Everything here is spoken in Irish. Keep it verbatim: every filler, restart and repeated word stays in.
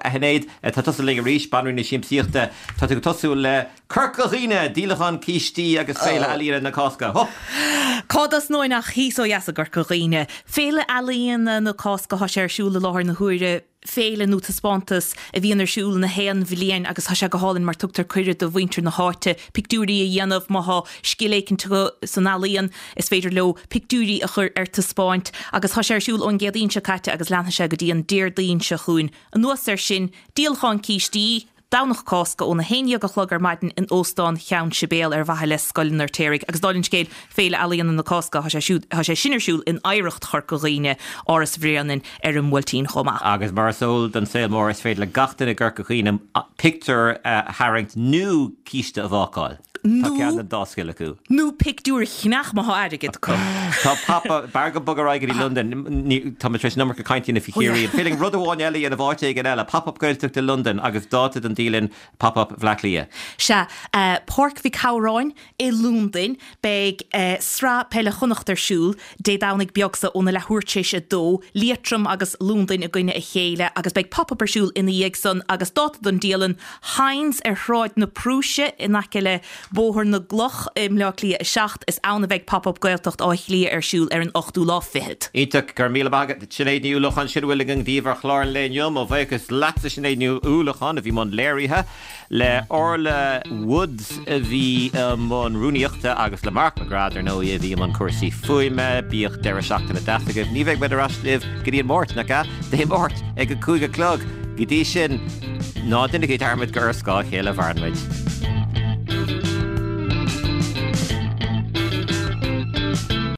A Shinéad, tá tusa linn arís, banríon na siamsaíochta, tá tú ag tosú le Corca Dhuibhne, díolachán cístí agus Féile Ealaíona na Cásca. Hup! Cá dtosnóinn ach thíos ó dheas i gCorca Dhuibhne. Féile Ealaíona na Cásca, tá sé ar siúl i láthair na huaire, féile nó taispeántas a bhíonn ar siúl na haon bhliain agus tá sé go hálainn mar tugtar cuireadh do mhuintir na háite pictiúirí a dhéanamh. Má tá scil éicint acu san ealaíon, is féidir leo pictiúirí a chur ar taispeáint agus tá sé ar siúl ón gCéadaoin seo caite agus leanfaidh sé go dtí an Déardaoin seo chugainn. Anuas air sin, díolachán cístí, Domhnach Cásca óna haon déag a chlog ar maidin in Óstán Cheann Sibéal ar mhaithe le Scoil an Fheirtéaraigh. Agus dála an scéil, Féile Ealaíona na Cásca, tá sé siúd, tá sé sin ar siúl in Oidhreacht Chorca Dhuibhne, Áras Bhréanainn ar an mBuailtín chomh maith. Agus mar is eol don saol mór, is féidir le gach duine i gCorca Dhuibhne pictiúr a tharraingt nó císte a bhácáil. Tá ceann den dá scil acu. Nó pictiúr a cheannach má tá airgead acu. Tá pop-up, b'fhearr go bog ar aghaidh go dtí Londain, tá mé tar éis an iomarca cainte a dhéanamh faoi Chiarraí. An féidir linn rud amháin eile a dhéanamh áit éigin eile, pop-up Gaeltacht i Londain agus dáta don dialann pop-up Bhleá Cliath. Sea, Páirc Mhic Shamhráin i Londain, beidh Sraith Peile Chonnacht ar siúl Dé Domhnaigh beag so óna leathuair tar éis a dó, Liatroim agus Londain i gcoinne a chéile agus beidh pop-up ar siúl ina dhiaidh san agus dáta don dialann, Hynes ar Shráid na Prúise in aice le Bóthar na gCloch i mBleá Cliath a seacht, is ann a bheidh Pop-Up Gaeltacht Átha Cliath ar siúl ar an ochtú lá fichead. Iontach, go raibh míle maith agat Sinéad Ní Uallacháin, sin a bhfuil againn daoibh ar chlár an lae inniu. Mo bhuíochas leatsa Sinéad Ní Uallacháin a bhí i mbun léirithe, le Orla Woods a bhí i mbun rúnaíochta agus le Mark McGrath ar ndóigh a bhí i mbun cúrsaí fuaime. Bíodh deireadh seachtaine deas agaibh. Ní bheidh muid ar ais libh go dtí an Máirt, nach ea? Dé Máirt ag a cúig a chlog. Go dtí sin, ná déanaigí dearmad gur ar scáth a chéile a mhaireann muid.